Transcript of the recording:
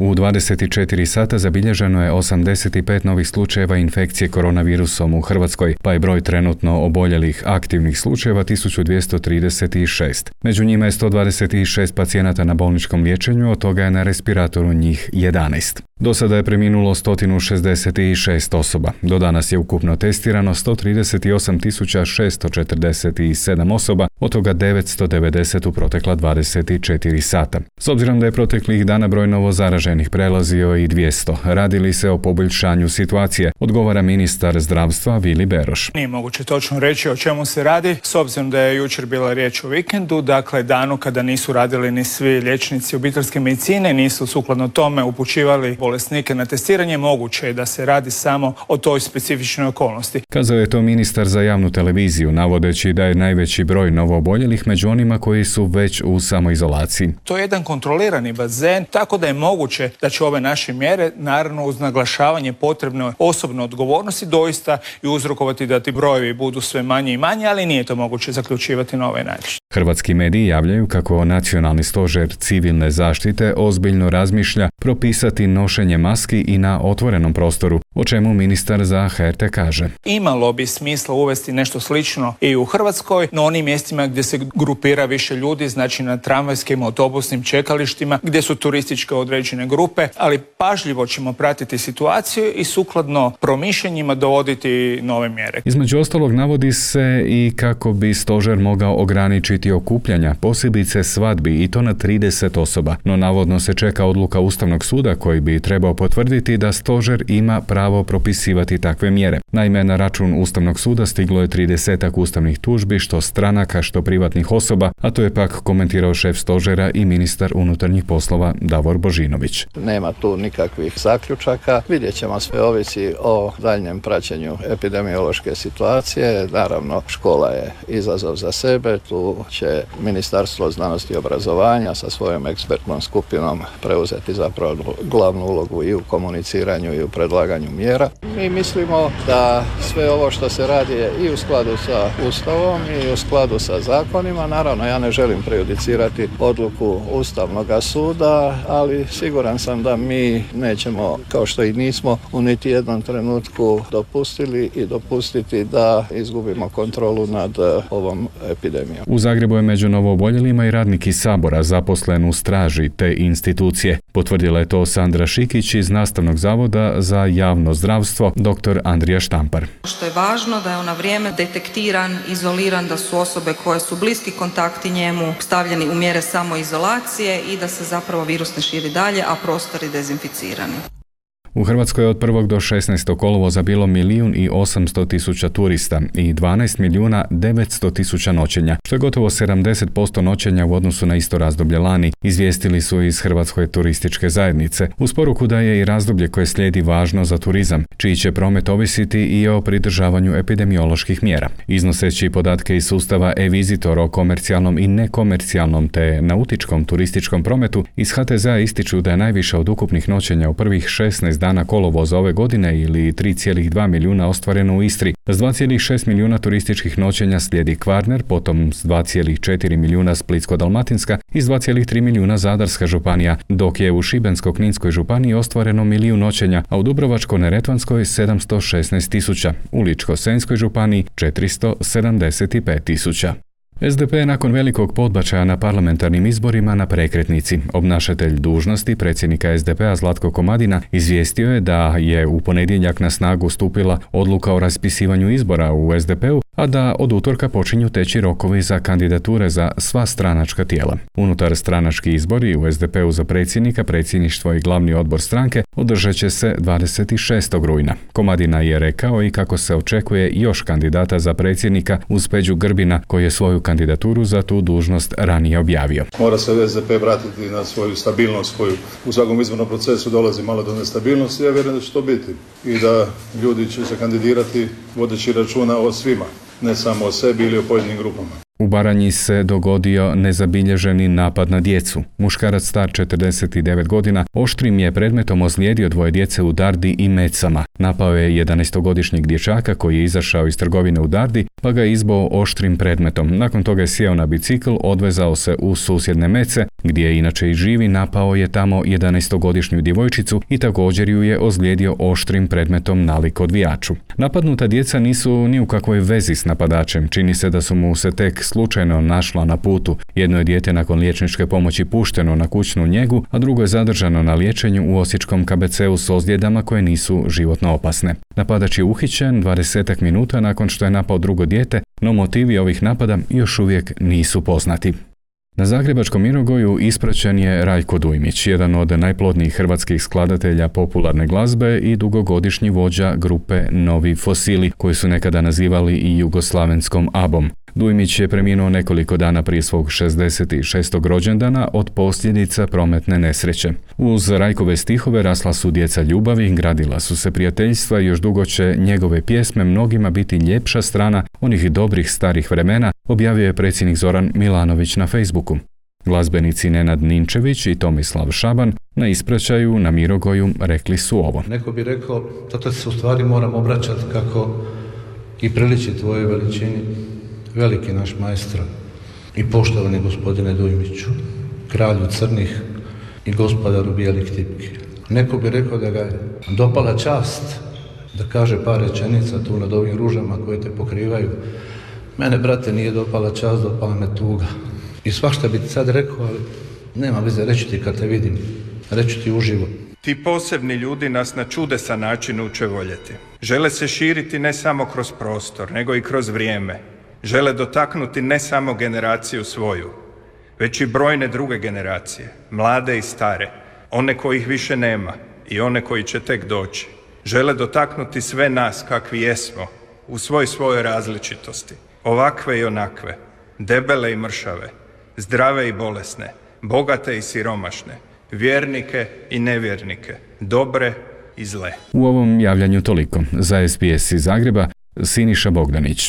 U 24 sata zabilježeno je 85 novih slučajeva infekcije koronavirusom u Hrvatskoj, pa je broj trenutno oboljelih aktivnih slučajeva 1236. Među njima je 126 pacijenata na bolničkom liječenju, od toga je na respiratoru njih 11. Do sada je preminulo 166 osoba. Do danas je ukupno testirano 138.647 osoba, od toga 990 u protekla 24 sata. S obzirom da je proteklih dana broj novozaraženih prelazio i 200, radi li se o poboljšanju situacije, odgovara ministar zdravstva Vili Beroš. Nije moguće točno reći o čemu se radi, s obzirom da je jučer bila riječ o vikendu, dakle danu kada nisu radili ni svi liječnici obiteljske medicine, nisu sukladno tome upućivali bolesnike na testiranje, moguće je da se radi samo o toj specifičnoj okolnosti. Kazao je to ministar za javnu televiziju, navodeći da je najveći broj novooboljelih među onima koji su već u samoizolaciji. To je jedan kontrolirani bazen, tako da je moguće da će ove naše mjere, naravno uz naglašavanje potrebne osobne odgovornosti, doista i uzrokovati da ti brojevi budu sve manje i manje, ali nije to moguće zaključivati na ovaj način. Hrvatski mediji javljaju kako Nacionalni stožer civilne zaštite ozbiljno razmišlja propisati nošenje maski i na otvorenom prostoru, o čemu ministar za HRT kaže. Imalo bi smisla uvesti nešto slično i u Hrvatskoj, na onim mjestima gdje se grupira više ljudi, znači na tramvajskim, autobusnim čekalištima, gdje su turističke određene grupe, ali pažljivo ćemo pratiti situaciju i sukladno promišljanjima dovoditi nove mjere. Između ostalog navodi se i kako bi stožer mogao ograničiti okupljanja, posebice svadbi, i to na 30 osoba, no navodno se čeka odluka Ustavnog suda koji bi trebao potvrditi da stožer ima pravo propisivati takve mjere. Naime, na račun Ustavnog suda stiglo je 30 ustavnih tužbi, što stranaka, što privatnih osoba, a to je pak komentirao šef stožera i ministar unutarnjih poslova Davor Božinović. Nema tu nikakvih zaključaka, vidjet ćemo, sve ovisi o daljnjem praćenju epidemiološke situacije. Naravno, škola je izazov za sebe, tu će Ministarstvo znanosti i obrazovanja sa svojom ekspertnom skupinom preuzeti zapravo glavnu ulogu i u komuniciranju i u predlaganju mjera. Mi mislimo da sve ovo što se radi je i u skladu sa Ustavom i u skladu sa zakonima. Naravno, ja ne želim prejudicirati odluku Ustavnog suda, ali siguran sam da mi nećemo, kao što i nismo u niti jednom trenutku dopustili i dopustiti da izgubimo kontrolu nad ovom epidemijom. U Zagrebu je među novooboljelima i radnik iz Sabora zaposlen u straži te institucije. Potvrdila je to Sandra Šikić iz Nastavnog zavoda za javno zdravstvo, dr. Andrija Štampar. Što je važno da je on na vrijeme detektiran, izoliran, da su osobe koje su bliski kontakti njemu stavljeni u mjere samoizolacije i da se zapravo virus ne širi dalje, a prostori dezinficirani. U Hrvatskoj je od 1. do 16. kolovoza bilo 1.800.000 turista i 12.900.000 noćenja, što je gotovo 70% noćenja u odnosu na isto razdoblje lani, izvijestili su iz Hrvatske turističke zajednice, uz poruku da je i razdoblje koje slijedi važno za turizam, čiji će promet ovisiti i o pridržavanju epidemioloških mjera. Iznoseći podatke iz sustava e-Visitor o komercijalnom i nekomercijalnom te nautičkom turističkom prometu, iz HTZ-a ističu da je najviše od ukupnih noćenja u prvih 16 dana kolovoza ove godine ili 3,2 milijuna ostvareno u Istri. S 2,6 milijuna turističkih noćenja slijedi Kvarner, potom s 2,4 milijuna Splitsko-dalmatinska i s 2,3 milijuna Zadarska županija, dok je u Šibensko-kninskoj županiji ostvareno 1 milijun noćenja, a u Dubrovačko-neretvanskoj 716.000, u Ličko-senjskoj županiji 475.000. SDP je nakon velikog podbačaja na parlamentarnim izborima na prekretnici. Obnašatelj dužnosti predsjednika SDP-a Zlatko Komadina izvijestio je da je u ponedjeljak na snagu stupila odluka o raspisivanju izbora u SDP-u, a da od utorka počinju teći rokovi za kandidature za sva stranačka tijela. Unutar stranački izbori u SDP-u za predsjednika, predsjedništvo i glavni odbor stranke održat će se 26. rujna. Komadina je rekao i kako se očekuje još kandidata za predsjednika uz Peđu Grbina, koji je svoju kandidaturu za tu dužnost ranije objavio. Mora se SDP vratiti na svoju stabilnost koju u svakom izbornom procesu dolazi malo do nestabilnosti. Ja vjerujem da će to biti i da ljudi će se kandidirati vodeći računa o svima, ne samo o sebi ili o pojedinim grupama. U Baranji se dogodio nezabilježeni napad na djecu. Muškarac star 49 godina oštrim je predmetom ozlijedio 2 djece u Dardi i Mecama. Napao je 11-godišnjeg dječaka koji je izašao iz trgovine u Dardi, pa ga izboo oštrim predmetom. Nakon toga je sjeo na bicikl, odvezao se u susjedne Mece, gdje je inače i živi, napao je tamo 11-godišnju djevojčicu i također ju je ozlijedio oštrim predmetom nalik odvijaču. Napadnuta djeca nisu ni u kakvoj vezi s napadačem. Čini se da su mu se tek slučajno našla na putu. Jedno je dijete nakon liječničke pomoći pušteno na kućnu njegu, a drugo je zadržano na liječenju u osječkom KBC-u s ozljedama koje nisu životno opasne. Napadač je uhićen 20 minuta nakon što je napao drugo dijete, no motivi ovih napada još uvijek nisu poznati. Na zagrebačkom Mirogoju ispraćen je Rajko Dujmić, jedan od najplodnijih hrvatskih skladatelja popularne glazbe i dugogodišnji vođa grupe Novi Fosili, koji su nekada nazivali i jugoslavenskom ABBom. Dujmić je preminuo nekoliko dana prije svog 66. rođendana od posljedica prometne nesreće. Uz Rajkove stihove rasla su djeca ljubavi, gradila su se prijateljstva i još dugo će njegove pjesme mnogima biti ljepša strana onih dobrih starih vremena, objavio je predsjednik Zoran Milanović na Facebooku. Glazbenici Nenad Ninčević i Tomislav Šaban na ispraćaju na Mirogoju rekli su ovo. Neko bi rekao, zato se u stvari moram obraćati kako i priliči tvojoj veličini, veliki naš maestro i poštovani gospodine Dujmiću, kralju crnih i gospodaru bijelih tipki. Neko bi rekao da ga je dopala čast da kaže par rečenica tu nad ovim ružama koje te pokrivaju. Mene, brate, nije dopala čast, dopala me tuga. I svašta bi ti sad rekao, ali nema veze, reći ti kad te vidim, reći ti uživo. Ti posebni ljudi nas na čudesan način uče voljeti. Žele se širiti ne samo kroz prostor, nego i kroz vrijeme. Žele dotaknuti ne samo generaciju svoju, već i brojne druge generacije, mlade i stare, one kojih više nema i one koji će tek doći. Žele dotaknuti sve nas kakvi jesmo, u svojoj različitosti, ovakve i onakve, debele i mršave, zdrave i bolesne, bogate i siromašne, vjernike i nevjernike, dobre i zle. U ovom javljanju toliko. Za SBS iz Zagreba, Siniša Bogdanić.